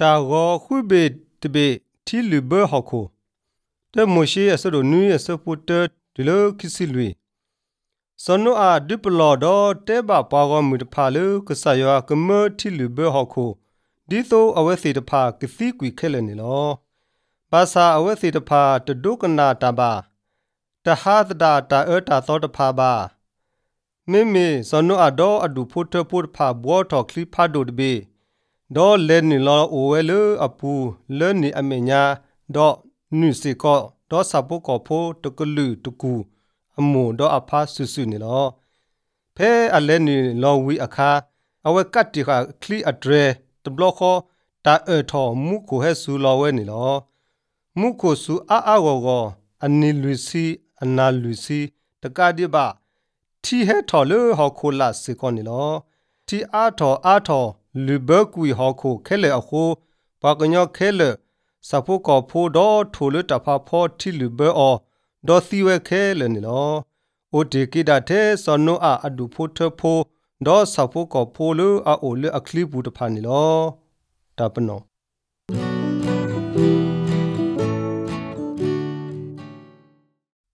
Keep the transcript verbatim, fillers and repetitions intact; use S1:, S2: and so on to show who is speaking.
S1: ta go khube tebe ti libe hako te moshi asado nui asapota dilo kisilwe Sono a diplo do te ba pago mutpalu kusayo kumo ti libe hako ditho awesi de pa kisi kwi khele ni lo Basa awesi de pa te dukana taba ta hadda ta eta so de pa ba Mimi sono ado adu puto put pa bo to kli pa do de do le ni lo owelu apu le ni amenya do nu se ko do sapu ko pho to klu to ku amu do apha susu ni lo phe ale ni lo wi akha awe kat ti kha kli adre to block ko ta e tho mu ko he su lo we ni lo mu ko su a a go go ani lu si ana lu si ta ka di ba ti he tho le ho ko la se ko ni lo ti a tho a tho lu be ku ho ko khele a ko ba ko nyo khele sa pho ko pho do tho le ta pha pho ti lu be o do si we khele ni lo o de ki da the so no a adu pho the pho do sa pho ko pho lu a o le a kli bu ta pha ni lo ta pno